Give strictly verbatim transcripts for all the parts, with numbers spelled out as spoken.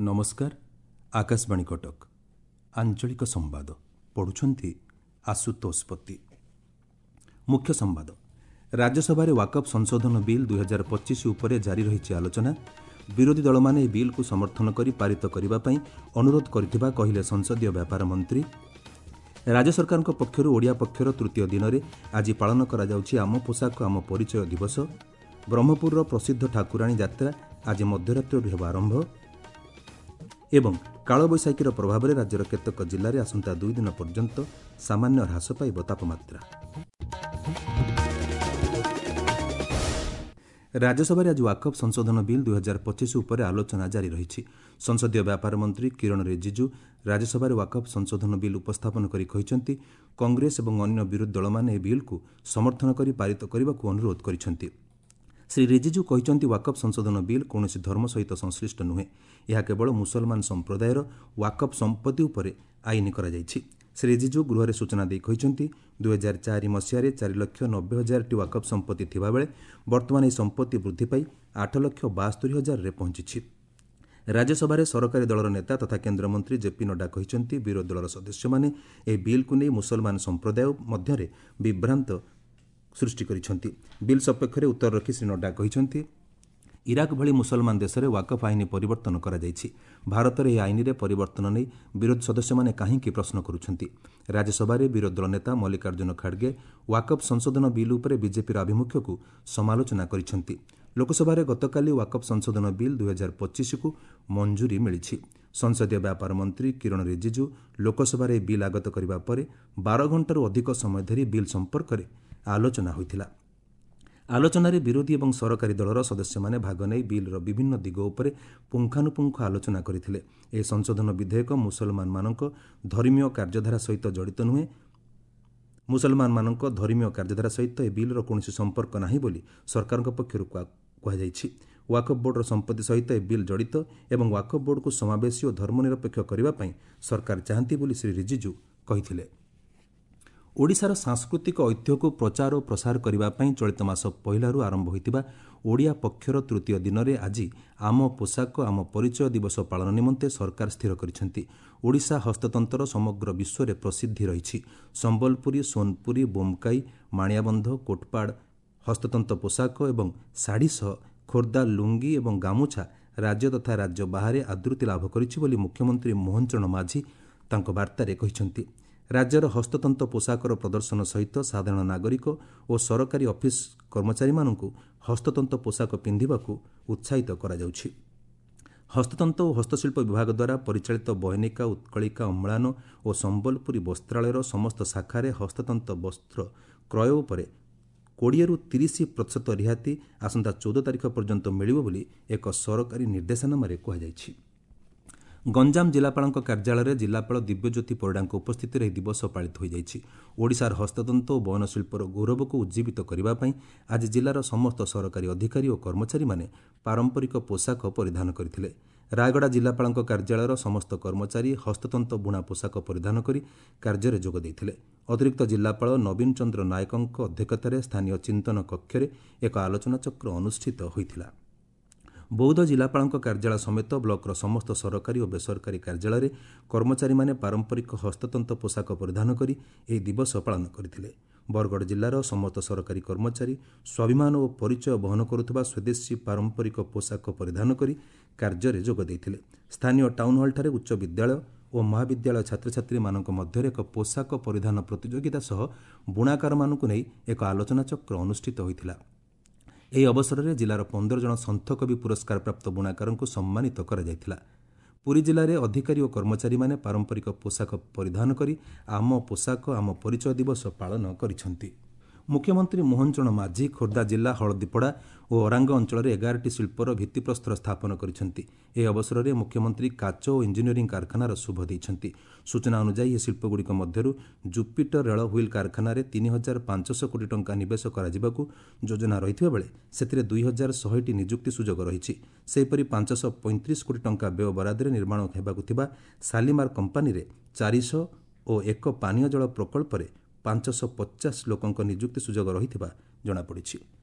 ନମସ୍କାର, ଆକାଶବାଣୀ କଟକ, ଆଞ୍ଚଳିକ ସମ୍ବାଦ ପଢ଼ୁଛନ୍ତି ଆଶୁତୋଷ ପତି। ମୁଖ୍ୟ ସମ୍ବାଦ। ରାଜ୍ୟସଭାରେ ୱାକଫ୍ ସଂଶୋଧନ ବିଲ୍ ଦୁଇହଜାର ପଚିଶ ଉପରେ ଜାରି ରହିଛି ଆଲୋଚନା। ବିରୋଧୀ ଦଳମାନେ ଏହି ବିଲ୍କୁ ସମର୍ଥନ କରି ପାରିତ କରିବା ପାଇଁ ଅନୁରୋଧ କରିଥିବା କହିଲେ ସଂସଦୀୟ ବ୍ୟାପାର ମନ୍ତ୍ରୀ। ରାଜ୍ୟ ସରକାରଙ୍କ ପକ୍ଷରୁ ଓଡ଼ିଆ ପକ୍ଷର ତୃତୀୟ ଦିନରେ ଆଜି ପାଳନ କରାଯାଉଛି ଆମ ପୋଷାକ ଆମ ପରିଚୟ ଦିବସ। ବ୍ରହ୍ମପୁରର ପ୍ରସିଦ୍ଧ ଠାକୁରାଣୀ ଯାତ୍ରା ଆଜି ମଧ୍ୟରାତ୍ରରୁ ହେବ ଆରମ୍ଭ। ଏବଂ କାଳବୈଶାଖୀର ପ୍ରଭାବରେ ରାଜ୍ୟର କେତେକ ଜିଲ୍ଲାରେ ଆସନ୍ତା ଦୁଇ ଦିନ ପର୍ଯ୍ୟନ୍ତ ସାମାନ୍ୟ ହ୍ରାସ ପାଇବ ତାପମାତ୍ରା। ରାଜ୍ୟସଭାରେ ଆଜି ୱାକଫ୍ ସଂଶୋଧନ ବିଲ୍ ଦୁଇହଜାର ପଚିଶ ଉପରେ ଆଲୋଚନା ଜାରି ରହିଛି। ସଂସଦୀୟ ବ୍ୟାପାର ମନ୍ତ୍ରୀ କିରଣ ରିଜିଜୁ ରାଜ୍ୟସଭାରେ ୱାକଫ୍ ସଂଶୋଧନ ବିଲ୍ ଉପସ୍ଥାପନ କରି କହିଛନ୍ତି, କଂଗ୍ରେସ ଏବଂ ଅନ୍ୟ ବିରୋଧୀ ଦଳମାନେ ଏହି ବିଲ୍କୁ ସମର୍ଥନ କରି ପାରିତ କରିବାକୁ ଅନୁରୋଧ କରିଛନ୍ତି। ଶ୍ରୀ ରିଜିଜୁ କହିଛନ୍ତି, ୱାକଫ୍ ସଂଶୋଧନ ବିଲ୍ କୌଣସି ଧର୍ମ ସହିତ ସଂଶ୍ଳିଷ୍ଟ ନୁହେଁ। ଏହା କେବଳ ମୁସଲମାନ ସମ୍ପ୍ରଦାୟର ୱାକଫ୍ ସମ୍ପତ୍ତି ଉପରେ ଆଇନ କରାଯାଇଛି। ଶ୍ରୀ ରିଜିଜୁ ଗୃହରେ ସୂଚନା ଦେଇ କହିଛନ୍ତି, ଦୁଇହଜାର ଚାରି ମସିହାରେ ଚାରି ଲକ୍ଷ ନବେ ହଜାରଟି ୱାକଫ୍ ସମ୍ପତ୍ତି ଥିବାବେଳେ ବର୍ତ୍ତମାନ ଏହି ସମ୍ପତ୍ତି ବୃଦ୍ଧି ପାଇ ଆଠ ଲକ୍ଷ ବାସ୍ତରି ହଜାରରେ ପହଞ୍ଚିଛି। ରାଜ୍ୟସଭାରେ ସରକାରୀ ଦଳର ନେତା ତଥା କେନ୍ଦ୍ରମନ୍ତ୍ରୀ ଜେପି ନଡ୍ଡା କହିଛନ୍ତି, ବିରୋଧୀ ଦଳର ସଦସ୍ୟମାନେ ଏହି ବିଲ୍କୁ ନେଇ ମୁସଲମାନ ସମ୍ପ୍ରଦାୟ ମଧ୍ୟରେ ବିଭ୍ରାନ୍ତ ସୃଷ୍ଟି କରିଛନ୍ତି। ବିଲ୍ ସପକ୍ଷରେ ଉତ୍ତର ରଖି ଶ୍ରୀ ନଡ୍ଡା କହିଛନ୍ତି, ଇରାକ ଭଳି ମୁସଲମାନ ଦେଶରେ ୱାକଫ୍ ଆଇନ ପରିବର୍ତ୍ତନ କରାଯାଇଛି। ଭାରତରେ ଏହି ଆଇନରେ ପରିବର୍ତ୍ତନ ନେଇ ବିରୋଧୀ ସଦସ୍ୟମାନେ କାହିଁକି ପ୍ରଶ୍ନ କରୁଛନ୍ତି? ରାଜ୍ୟସଭାରେ ବିରୋଧୀ ଦଳ ନେତା ମଲ୍ଲିକାର୍ଜୁନ ଖାଡ଼ଗେ ୱାକଫ୍ ସଂଶୋଧନ ବିଲ୍ ଉପରେ ବିଜେପିର ଆଭିମୁଖ୍ୟକୁ ସମାଲୋଚନା କରିଛନ୍ତି। ଲୋକସଭାରେ ଗତକାଲି ୱାକଫ୍ ସଂଶୋଧନ ବିଲ୍ ଦୁଇହଜାର ପଚିଶକୁ ମଞ୍ଜୁରୀ ମିଳିଛି। ସଂସଦୀୟ ବ୍ୟାପାର ମନ୍ତ୍ରୀ କିରଣ ରିଜିଜୁ ଲୋକସଭାରେ ଏହି ବିଲ୍ ଆଗତ କରିବା ପରେ ବାର ଘଣ୍ଟାରୁ ଅଧିକ ସମୟ ଧରି ବିଲ୍ ସମ୍ପର୍କରେ ଆଲୋଚନା ହୋଇଥିଲା। ଆଲୋଚନାରେ ବିରୋଧୀ ଏବଂ ସରକାରୀ ଦଳର ସଦସ୍ୟମାନେ ଭାଗ ନେଇ ବିଲ୍ର ବିଭିନ୍ନ ଦିଗ ଉପରେ ପୁଙ୍ଖାନୁପୁଙ୍ଖ ଆଲୋଚନା କରିଥିଲେ। ଏହି ସଂଶୋଧନ ବିଧେୟକ ମୁସଲମାନମାନଙ୍କ ଧର୍ମୀୟ କାର୍ଯ୍ୟଧାରା ସହିତ ଜଡ଼ିତ ନୁହେଁ। ମୁସଲମାନମାନଙ୍କ ଧର୍ମୀୟ କାର୍ଯ୍ୟଧାରା ସହିତ ଏହି ବିଲ୍ର କୌଣସି ସମ୍ପର୍କ ନାହିଁ ବୋଲି ସରକାରଙ୍କ ପକ୍ଷରୁ କୁହାଯାଇଛି। ୱାକଫ୍ ବୋର୍ଡର ସମ୍ପତ୍ତି ସହିତ ଏହି ବିଲ୍ ଜଡ଼ିତ ଏବଂ ୱାକଫ୍ ବୋର୍ଡକୁ ସମାବେଶୀ ଓ ଧର୍ମନିରପେକ୍ଷ କରିବା ପାଇଁ ସରକାର ଚାହାନ୍ତି ବୋଲି ଶ୍ରୀ ରିଜିଜୁ କହିଥିଲେ। ଓଡ଼ିଶାର ସାଂସ୍କୃତିକ ଐତିହ୍ୟକୁ ପ୍ରଚାର ଓ ପ୍ରସାର କରିବା ପାଇଁ ଚଳିତ ମାସ ପହିଲାରୁ ଆରମ୍ଭ ହୋଇଥିବା ଓଡ଼ିଆ ପକ୍ଷର ତୃତୀୟ ଦିନରେ ଆଜି ଆମ ପୋଷାକ ଆମ ପରିଚୟ ଦିବସ ପାଳନ ନିମନ୍ତେ ସରକାର ସ୍ଥିର କରିଛନ୍ତି। ଓଡ଼ିଶା ହସ୍ତତନ୍ତର ସମଗ୍ର ବିଶ୍ୱରେ ପ୍ରସିଦ୍ଧି ରହିଛି। ସମ୍ବଲପୁରୀ, ସୋନପୁରୀ, ବୋମକାଇ, ମାଣିଆବନ୍ଧ, କୋଟପାଡ଼ ହସ୍ତତନ୍ତ ପୋଷାକ ଏବଂ ଶାଢ଼ୀ ସହ ଖୋର୍ଦ୍ଧା ଲୁଙ୍ଗି ଏବଂ ଗାମୁଛା ରାଜ୍ୟ ତଥା ରାଜ୍ୟ ବାହାରେ ଆଦୃତି ଲାଭ କରିଛି ବୋଲି ମୁଖ୍ୟମନ୍ତ୍ରୀ ମୋହନ ଚରଣ ମାଝୀ ତାଙ୍କ ବାର୍ତ୍ତାରେ କହିଛନ୍ତି। ରାଜ୍ୟର ହସ୍ତତନ୍ତ ପୋଷାକର ପ୍ରଦର୍ଶନ ସହିତ ସାଧାରଣ ନାଗରିକ ଓ ସରକାରୀ ଅଫିସ କର୍ମଚାରୀମାନଙ୍କୁ ହସ୍ତତନ୍ତ ପୋଷାକ ପିନ୍ଧିବାକୁ ଉତ୍ସାହିତ କରାଯାଉଛି। ହସ୍ତତନ୍ତ ଓ ହସ୍ତଶିଳ୍ପ ବିଭାଗ ଦ୍ୱାରା ପରିଚାଳିତ ବୟନିକା, ଉତ୍କଳିକା, ଅମ୍ଳାନ ଓ ସମ୍ବଲପୁରୀ ବସ୍ତ୍ରାଳୟର ସମସ୍ତ ଶାଖାରେ ହସ୍ତତନ୍ତ ବସ୍ତ୍ର କ୍ରୟ ଉପରେ କୋଡ଼ିଏରୁ ତିରିଶ ପ୍ରତିଶତ ରିହାତି ଆସନ୍ତା ଚଉଦ ତାରିଖ ପର୍ଯ୍ୟନ୍ତ ମିଳିବ ବୋଲି ଏକ ସରକାରୀ ନିର୍ଦ୍ଦେଶନାମାରେ କୁହାଯାଇଛି। ଗଞ୍ଜାମ ଜିଲ୍ଲାପାଳଙ୍କ କାର୍ଯ୍ୟାଳୟରେ ଜିଲ୍ଲାପାଳ ଦିବ୍ୟଜ୍ୟୋତି ପରିଡ଼ାଙ୍କ ଉପସ୍ଥିତିରେ ଏହି ଦିବସ ପାଳିତ ହୋଇଯାଇଛି। ଓଡ଼ିଶାର ହସ୍ତତନ୍ତ ଓ ବୟନଶିଳ୍ପର ଗୌରବକୁ ଉଜ୍ଜୀବିତ କରିବା ପାଇଁ ଆଜି ଜିଲ୍ଲାର ସମସ୍ତ ସରକାରୀ ଅଧିକାରୀ ଓ କର୍ମଚାରୀମାନେ ପାରମ୍ପରିକ ପୋଷାକ ପରିଧାନ କରିଥିଲେ। ରାୟଗଡ଼ା ଜିଲ୍ଲାପାଳଙ୍କ କାର୍ଯ୍ୟାଳୟର ସମସ୍ତ କର୍ମଚାରୀ ହସ୍ତତନ୍ତ ବୁଣା ପୋଷାକ ପରିଧାନ କରି କାର୍ଯ୍ୟରେ ଯୋଗ ଦେଇଥିଲେ। ଅତିରିକ୍ତ ଜିଲ୍ଲାପାଳ ନବୀନ ଚନ୍ଦ୍ର ନାୟକଙ୍କ ଅଧ୍ୟକ୍ଷତାରେ ସ୍ଥାନୀୟ ଚିନ୍ତନ କକ୍ଷରେ ଏକ ଆଲୋଚନାଚକ୍ର ଅନୁଷ୍ଠିତ ହୋଇଥିଲା। ବୌଦ୍ଧ ଜିଲ୍ଲାପାଳଙ୍କ କାର୍ଯ୍ୟାଳୟ ସମେତ ବ୍ଲକର ସମସ୍ତ ସରକାରୀ ଓ ବେସରକାରୀ କାର୍ଯ୍ୟାଳୟରେ କର୍ମଚାରୀମାନେ ପାରମ୍ପରିକ ହସ୍ତତନ୍ତ ପୋଷାକ ପରିଧାନ କରି ଏହି ଦିବସ ପାଳନ କରିଥିଲେ। ବରଗଡ଼ ଜିଲ୍ଲାର ସମସ୍ତ ସରକାରୀ କର୍ମଚାରୀ ସ୍ୱାଭିମାନ ଓ ପରିଚୟ ବହନ କରୁଥିବା ସ୍ୱଦେଶୀ ପାରମ୍ପରିକ ପୋଷାକ ପରିଧାନ କରି କାର୍ଯ୍ୟରେ ଯୋଗ ଦେଇଥିଲେ। ସ୍ଥାନୀୟ ଟାଉନହଲ୍ଠାରେ ଉଚ୍ଚ ବିଦ୍ୟାଳୟ ଓ ମହାବିଦ୍ୟାଳୟ ଛାତ୍ରଛାତ୍ରୀମାନଙ୍କ ମଧ୍ୟରେ ଏକ ପୋଷାକ ପରିଧାନ ପ୍ରତିଯୋଗିତା ସହ ବୁଣାକାରମାନଙ୍କୁ ନେଇ ଏକ ଆଲୋଚନାଚକ୍ର ଅନୁଷ୍ଠିତ ହୋଇଥିଲା। ଏହି ଅବସରରେ ଜିଲ୍ଲାର ପନ୍ଦର ଜଣ ସନ୍ଥକବି ପୁରସ୍କାରପ୍ରାପ୍ତ ବୁଣାକାରଙ୍କୁ ସମ୍ମାନିତ କରାଯାଇଥିଲା। ପୁରୀ ଜିଲ୍ଲାରେ ଅଧିକାରୀ ଓ କର୍ମଚାରୀମାନେ ପାରମ୍ପରିକ ପୋଷାକ ପରିଧାନ କରି ଆମ ପୋଷାକ ଆମ ପରିଚୟ ଦିବସ ପାଳନ କରିଛନ୍ତି। ମୁଖ୍ୟମନ୍ତ୍ରୀ ମୋହନ ଚରଣ ମାଝୀ ଖୋର୍ଦ୍ଧା ଜିଲ୍ଲା ହଳଦୀପଡ଼ା ଓ ଅରାଙ୍ଗ ଅଞ୍ଚଳରେ ଏଗାରଟି ଶିଳ୍ପର ଭିତ୍ତିପ୍ରସ୍ତର ସ୍ଥାପନ କରିଛନ୍ତି। ଏହି ଅବସରରେ ମୁଖ୍ୟମନ୍ତ୍ରୀ କାଚ ଓ ଇଞ୍ଜିନିୟରିଂ କାରଖାନାର ଶୁଭ ଦେଇଛନ୍ତି। ସୂଚନା ଅନୁଯାୟୀ ଏହି ଶିଳ୍ପଗୁଡ଼ିକ ମଧ୍ୟରୁ ଜୁପିଟର ରେଳ ହ୍ୱିଲ୍ କାରଖାନାରେ ତିନି ହଜାର ପାଞ୍ଚଶହ କୋଟି ଟଙ୍କା ନିବେଶ କରାଯିବାକୁ ଯୋଜନା ରହିଥିବା ବେଳେ ସେଥିରେ ଦୁଇ ହଜାର ଶହେଟି ନିଯୁକ୍ତି ସୁଯୋଗ ରହିଛି। ସେହିପରି ପାଞ୍ଚଶହ ପଇଁତିରିଶ କୋଟି ଟଙ୍କା ବ୍ୟୟ ବରାଦରେ ନିର୍ମାଣ ହେବାକୁ ଥିବା ଶାଲିମାର କମ୍ପାନୀରେ ଚାରିଶହ ଓ ଏକ ପାନୀୟ ଜଳ ପ୍ରକଳ୍ପରେ ପାଞ୍ଚଶହ ପଚାଶ ଲୋକଙ୍କ ନିଯୁକ୍ତି ସୁଯୋଗ ରହିଥିବା ଜଣାପଡ଼ିଛି।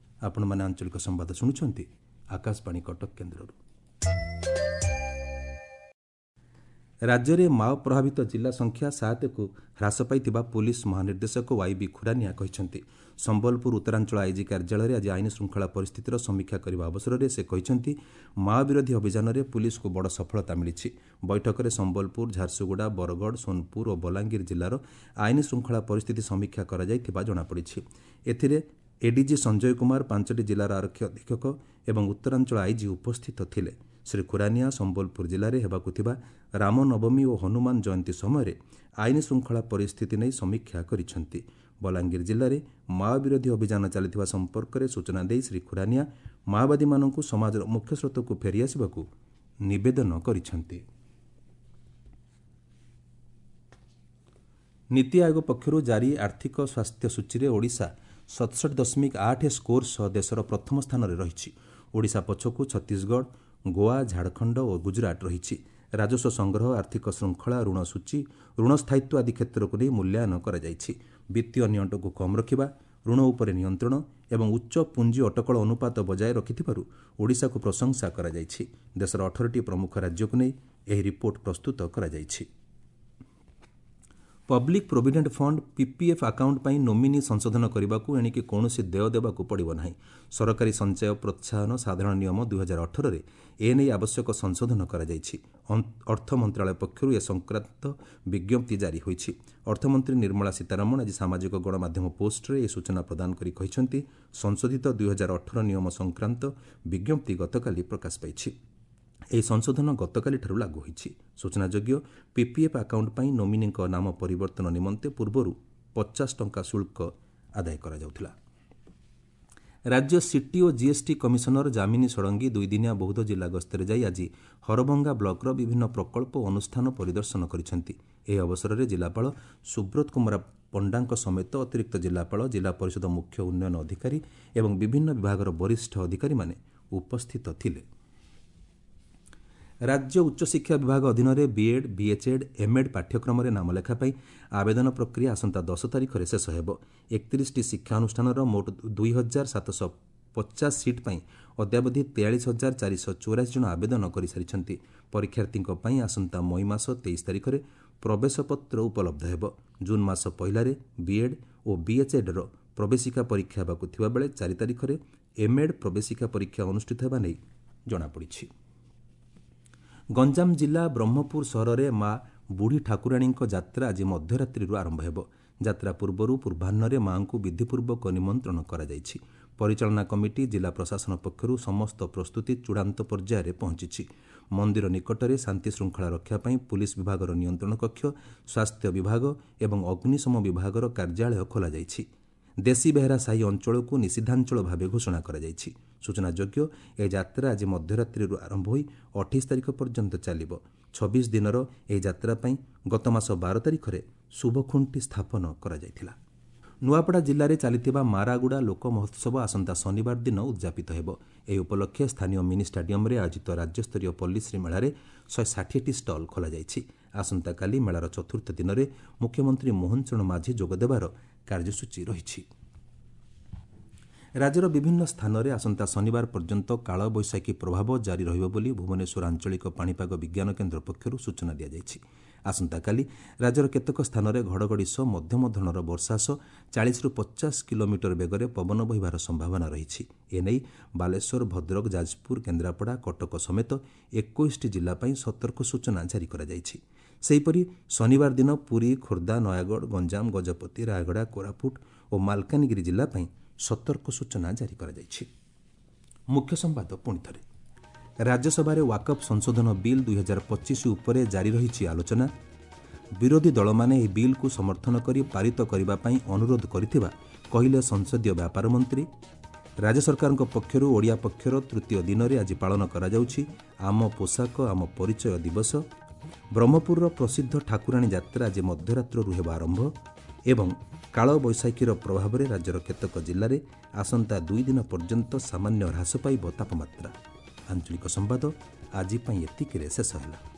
ଆପଣମାନେ ଆଞ୍ଚଳିକ ସମ୍ବାଦ ଶୁଣୁଛନ୍ତି ଆକାଶବାଣୀ କଟକ କେନ୍ଦ୍ରରୁ। ରାଜ୍ୟରେ ମାଓ ପ୍ରଭାବିତ ଜିଲ୍ଲା ସଂଖ୍ୟା ସାତକୁ ହ୍ରାସ ପାଇଥିବା ପୁଲିସ୍ ମହାନିର୍ଦ୍ଦେଶକ ୱାଇବି ଖୁରାନିଆ କହିଛନ୍ତି। ସମ୍ବଲପୁର ଉତ୍ତରାଞ୍ଚଳ ଆଇଜି କାର୍ଯ୍ୟାଳୟରେ ଆଜି ଆଇନ ଶୃଙ୍ଖଳା ପରିସ୍ଥିତିର ସମୀକ୍ଷା କରିବା ଅବସରରେ ସେ କହିଛନ୍ତି, ମାଓ ବିରୋଧୀ ଅଭିଯାନରେ ପୁଲିସକୁ ବଡ଼ ସଫଳତା ମିଳିଛି। ବୈଠକରେ ସମ୍ବଲପୁର, ଝାରସୁଗୁଡ଼ା, ବରଗଡ଼, ସୋନପୁର ଓ ବଲାଙ୍ଗୀର ଜିଲ୍ଲାର ଆଇନ ଶୃଙ୍ଖଳା ପରିସ୍ଥିତି ସମୀକ୍ଷା କରାଯାଇଥିବା ଜଣାପଡ଼ିଛି। ଏଥିରେ ଏଡିଜି ସଞ୍ଜୟ କୁମାର, ପାଞ୍ଚଟି ଜିଲ୍ଲାର ଆରକ୍ଷୀ ଅଧୀକ୍ଷକ ଏବଂ ଉତ୍ତରାଞ୍ଚଳ ଆଇଜି ଉପସ୍ଥିତ ଥିଲେ। ଶ୍ରୀ ଖୁରାନିଆ ସମ୍ବଲପୁର ଜିଲ୍ଲାରେ ହେବାକୁ ଥିବା ରାମନବମୀ ଓ ହନୁମାନ ଜୟନ୍ତୀ ସମୟରେ ଆଇନ ଶୃଙ୍ଖଳା ପରିସ୍ଥିତି ନେଇ ସମୀକ୍ଷା କରିଛନ୍ତି। ବଲାଙ୍ଗୀର ଜିଲ୍ଲାରେ ମାଓ ବିରୋଧୀ ଅଭିଯାନ ଚାଲିଥିବା ସମ୍ପର୍କରେ ସୂଚନା ଦେଇ ଶ୍ରୀ ଖୁରାନିଆ ମାଓବାଦୀମାନଙ୍କୁ ସମାଜର ମୁଖ୍ୟସ୍ରୋତକୁ ଫେରିଆସିବାକୁ ନିବେଦନ କରିଛନ୍ତି। ନୀତି ଆୟୋଗ ପକ୍ଷରୁ ଜାରି ଆର୍ଥିକ ସ୍ୱାସ୍ଥ୍ୟ ସୂଚୀରେ ଓଡ଼ିଶା ସତଷଠି ଦଶମିକ ଆଠ ସ୍କୋର ସହ ଦେଶର ପ୍ରଥମ ସ୍ଥାନରେ ରହିଛି। ଓଡ଼ିଶା ପଛକୁ ଛତିଶଗଡ଼, ଗୋଆ, ଝାଡ଼ଖଣ୍ଡ ଓ ଗୁଜରାଟ ରହିଛି। ରାଜସ୍ୱ ସଂଗ୍ରହ, ଆର୍ଥିକ ଶୃଙ୍ଖଳା, ଋଣ ସୂଚୀ, ଋଣ ସ୍ଥାୟିତ୍ୱ ଆଦି କ୍ଷେତ୍ରକୁ ନେଇ ମୂଲ୍ୟାୟନ କରାଯାଇଛି। ବିତ୍ତୀୟ ନିଅଣ୍ଟକୁ କମ୍ ରଖିବା, ଋଣ ଉପରେ ନିୟନ୍ତ୍ରଣ ଏବଂ ଉଚ୍ଚ ପୁଞ୍ଜି ଅଟକଳ ଅନୁପାତ ବଜାୟ ରଖିଥିବାରୁ ଓଡ଼ିଶାକୁ ପ୍ରଶଂସା କରାଯାଇଛି। ଦେଶର ଅଠରଟି ପ୍ରମୁଖ ରାଜ୍ୟକୁ ନେଇ ଏହି ରିପୋର୍ଟ ପ୍ରସ୍ତୁତ କରାଯାଇଛି। Public provident fund PPF account ପାଇଁ ନୋମିନି ସଂଶୋଧନ କରିବାକୁ ଏଣିକି କୌଣସି ଦେୟ ଦେବାକୁ ପଡ଼ିବ ନାହିଁ। ସରକାରୀ ସଞ୍ଚୟ ପ୍ରୋତ୍ସାହନ ସାଧାରଣ ନିୟମ ଦୁଇହଜାର ଅଠରରେ ଏନେଇ ଆବଶ୍ୟକ ସଂଶୋଧନ କରାଯାଇଛି। ଅର୍ଥ ମନ୍ତ୍ରାଳୟ ପକ୍ଷରୁ ଏ ସଂକ୍ରାନ୍ତ ବିଜ୍ଞପ୍ତି ଜାରି ହୋଇଛି। ଅର୍ଥମନ୍ତ୍ରୀ ନିର୍ମଳା ସୀତାରମଣ ଆଜି ସାମାଜିକ ଗଣମାଧ୍ୟମ ପୋଷ୍ଟରେ ଏ ସୂଚନା ପ୍ରଦାନ କରି କହିଛନ୍ତି, ସଂଶୋଧିତ ଦୁଇହଜାର ଅଠର ନିୟମ ସଂକ୍ରାନ୍ତ ବିଜ୍ଞପ୍ତି ଗତକାଲି ପ୍ରକାଶ ପାଇଛି। ଏହି ସଂଶୋଧନ ଗତକାଲିଠାରୁ ଲାଗୁ ହୋଇଛି। ସୂଚନାଯୋଗ୍ୟ, ପିପିଏଫ୍ ଆକାଉଣ୍ଟ ପାଇଁ ନୋମିନିଙ୍କ ନାମ ପରିବର୍ତ୍ତନ ନିମନ୍ତେ ପୂର୍ବରୁ ପଚାଶ ଟଙ୍କା ଶୁଳ୍କ ଆଦାୟ କରାଯାଉଥିଲା। ରାଜ୍ୟ ସିଟି ଓ ଜିଏସ୍ଟି କମିଶନର ଯାମିନୀ ଷଡ଼ଙ୍ଗୀ ଦୁଇଦିନିଆ ବୌଦ୍ଧ ଜିଲ୍ଲା ଗସ୍ତରେ ଯାଇ ଆଜି ହରଭଙ୍ଗା ବ୍ଲକର ବିଭିନ୍ନ ପ୍ରକଳ୍ପ ଓ ଅନୁଷ୍ଠାନ ପରିଦର୍ଶନ କରିଛନ୍ତି। ଏହି ଅବସରରେ ଜିଲ୍ଲାପାଳ ସୁବ୍ରତ କୁମାର ପଣ୍ଡାଙ୍କ ସମେତ ଅତିରିକ୍ତ ଜିଲ୍ଲାପାଳ, ଜିଲ୍ଲା ପରିଷଦ ମୁଖ୍ୟ ଉନ୍ନୟନ ଅଧିକାରୀ ଏବଂ ବିଭିନ୍ନ ବିଭାଗର ବରିଷ୍ଠ ଅଧିକାରୀମାନେ ଉପସ୍ଥିତ ଥିଲେ। ରାଜ୍ୟ ଉଚ୍ଚଶିକ୍ଷା ବିଭାଗ ଅଧୀନରେ ବିଏଡ୍, ବିଏଚ୍ଏଡ୍, ଏମ୍ଏଡ୍ ପାଠ୍ୟକ୍ରମରେ ନାମଲେଖା ପାଇଁ ଆବେଦନ ପ୍ରକ୍ରିୟା ଆସନ୍ତା ଦଶ ତାରିଖରେ ଶେଷ ହେବ। ଏକତିରିଶଟି ଶିକ୍ଷାନୁଷ୍ଠାନର ମୋଟ ଦୁଇ ହଜାର ସାତଶହ ପଚାଶ ସିଟ୍ ପାଇଁ ଅଦ୍ୟାବଧି ତେୟାଳିଶ ହଜାର ଚାରିଶହ ଚଉରାଶୀ ଜଣ ଆବେଦନ କରିସାରିଛନ୍ତି। ପରୀକ୍ଷାର୍ଥୀଙ୍କ ପାଇଁ ଆସନ୍ତା ମଇ ମାସ ତେଇଶ ତାରିଖରେ ପ୍ରବେଶପତ୍ର ଉପଲବ୍ଧ ହେବ। ଜୁନ୍ ମାସ ପହିଲାରେ ବିଏଡ୍ ଓ ବିଏଚ୍ଏଡ୍ର ପ୍ରବେଶିକା ପରୀକ୍ଷା ହେବାକୁ ଥିବାବେଳେ ଚାରି ତାରିଖରେ ଏମ୍ଏଡ୍ ପ୍ରବେଶିକା ପରୀକ୍ଷା ଅନୁଷ୍ଠିତ ହେବା ନେଇ ଜଣାପଡ଼ିଛି। ଗଞ୍ଜାମ ଜିଲ୍ଲା ବ୍ରହ୍ମପୁର ସହରରେ ମା ବୁଢ଼ୀ ଠାକୁରାଣୀଙ୍କ ଯାତ୍ରା ଆଜି ମଧ୍ୟରାତ୍ରିରୁ ଆରମ୍ଭ ହେବ। ଯାତ୍ରା ପୂର୍ବରୁ ପୂର୍ବାହ୍ନରେ ମାଙ୍କୁ ବିଧିପୂର୍ବକ ନିମନ୍ତ୍ରଣ କରାଯାଇଛି। ପରିଚାଳନା କମିଟି, ଜିଲ୍ଲା ପ୍ରଶାସନ ପକ୍ଷରୁ ସମସ୍ତ ପ୍ରସ୍ତୁତି ଚୂଡ଼ାନ୍ତ ପର୍ଯ୍ୟାୟରେ ପହଞ୍ଚିଛି। ମନ୍ଦିର ନିକଟରେ ଶାନ୍ତିଶୃଙ୍ଖଳା ରକ୍ଷା ପାଇଁ ପୁଲିସ ବିଭାଗର ନିୟନ୍ତ୍ରଣ କକ୍ଷ, ସ୍ୱାସ୍ଥ୍ୟ ବିଭାଗ ଏବଂ ଅଗ୍ନିଶମ ବିଭାଗର କାର୍ଯ୍ୟାଳୟ ଖୋଲାଯାଇଛି। ଦେଶୀ ବେହେରା ସାହି ଅଞ୍ଚଳକୁ ନିଷିଦ୍ଧାଞ୍ଚଳ ଭାବେ ଘୋଷଣା କରାଯାଇଛି। ସୂଚନାଯୋଗ୍ୟ, ଏହି ଯାତ୍ରା ଆଜି ମଧ୍ୟରାତ୍ରିରୁ ଆରମ୍ଭ ହୋଇ ଅଠେଇଶ ତାରିଖ ପର୍ଯ୍ୟନ୍ତ ଚାଲିବ। ଛବିଶ ଦିନର ଏହି ଯାତ୍ରା ପାଇଁ ଗତ ମାସ ବାର ତାରିଖରେ ଶୁଭଖୁଣ୍ଟି ସ୍ଥାପନ କରାଯାଇଥିଲା। ନୂଆପଡ଼ା ଜିଲ୍ଲାରେ ଚାଲିଥିବା ମାରାଗୁଡ଼ା ଲୋକ ମହୋତ୍ସବ ଆସନ୍ତା ଶନିବାର ଦିନ ଉଦ୍ଯାପିତ ହେବ। ଏହି ଉପଲକ୍ଷେ ସ୍ଥାନୀୟ ମିନି ଷ୍ଟାଡିୟମରେ ଆୟୋଜିତ ରାଜ୍ୟସ୍ତରୀୟ ପଲ୍ଲୀଶ୍ରୀ ମେଳାରେ ଶହେ ଷାଠିଏଟି ଷ୍ଟଲ୍ ଖୋଲାଯାଇଛି। ଆସନ୍ତାକାଲି ମେଳାର ଚତୁର୍ଥ ଦିନରେ ମୁଖ୍ୟମନ୍ତ୍ରୀ ମୋହନ ଚରଣ ମାଝୀ ଯୋଗଦେବାର କାର୍ଯ୍ୟସୂଚୀ ରହିଛି। ରାଜ୍ୟର ବିଭିନ୍ନ ସ୍ଥାନରେ ଆସନ୍ତା ଶନିବାର ପର୍ଯ୍ୟନ୍ତ କାଳବୈଶାଖୀ ପ୍ରଭାବ ଜାରି ରହିବ ବୋଲି ଭୁବନେଶ୍ୱର ଆଞ୍ଚଳିକ ପାଣିପାଗ ବିଜ୍ଞାନ କେନ୍ଦ୍ର ପକ୍ଷରୁ ସୂଚନା ଦିଆଯାଇଛି। ଆସନ୍ତାକାଲି ରାଜ୍ୟର କେତେକ ସ୍ଥାନରେ ଘଡ଼ଘଡ଼ି ସହ ମଧ୍ୟମ ଧରଣର ବର୍ଷା ସହ ଚାଳିଶରୁ ପଚାଶ କିଲୋମିଟର ବେଗରେ ପବନ ବହିବାର ସମ୍ଭାବନା ରହିଛି। ଏନେଇ ବାଲେଶ୍ୱର, ଭଦ୍ରକ, ଯାଜପୁର, କେନ୍ଦ୍ରାପଡ଼ା, କଟକ ସମେତ ଏକୋଇଶଟି ଜିଲ୍ଲା ପାଇଁ ସତର୍କ ସୂଚନା ଜାରି କରାଯାଇଛି। ସେହିପରି ଶନିବାର ଦିନ ପୁରୀ, ଖୋର୍ଦ୍ଧା, ନୟାଗଡ଼, ଗଞ୍ଜାମ, ଗଜପତି, ରାୟଗଡ଼ା, କୋରାପୁଟ ଓ ମାଲକାନଗିରି ଜିଲ୍ଲା ପାଇଁ ସତର୍କ ସୂଚନା ଜାରି କରାଯାଇଛି। ମୁଖ୍ୟ ସମ୍ବାଦ ପୁଣି ଥରେ। ରାଜ୍ୟସଭାରେ ୱାକଫ୍ ସଂଶୋଧନ ବିଲ୍ ଦୁଇହଜାର ପଚିଶ ଉପରେ ଜାରି ରହିଛି ଆଲୋଚନା। ବିରୋଧୀ ଦଳମାନେ ଏହି ବିଲ୍କୁ ସମର୍ଥନ କରି ପାରିତ କରିବା ପାଇଁ ଅନୁରୋଧ କରିଥିବା କହିଲେ ସଂସଦୀୟ ବ୍ୟାପାର ମନ୍ତ୍ରୀ। ରାଜ୍ୟ ସରକାରଙ୍କ ପକ୍ଷରୁ ଓଡ଼ିଆ ପକ୍ଷର ତୃତୀୟ ଦିନରେ ଆଜି ପାଳନ କରାଯାଉଛି ଆମ ପୋଷାକ ଆମ ପରିଚୟ ଦିବସ। ବ୍ରହ୍ମପୁରର ପ୍ରସିଦ୍ଧ ଠାକୁରାଣୀ ଯାତ୍ରା ଆଜି ମଧ୍ୟରାତ୍ରରୁ ହେବ ଆରମ୍ଭ ଏବଂ କାଳବୈଶାଖୀର ପ୍ରଭାବରେ ରାଜ୍ୟର କେତେକ ଜିଲ୍ଲାରେ ଆସନ୍ତା ଦୁଇ ଦିନ ପର୍ଯ୍ୟନ୍ତ ସାମାନ୍ୟ ହ୍ରାସ ପାଇବ ତାପମାତ୍ରା। ଆଞ୍ଚଳିକ ସମ୍ବାଦ ଆଜି ପାଇଁ ଏତିକିରେ ଶେଷ ହେଲା।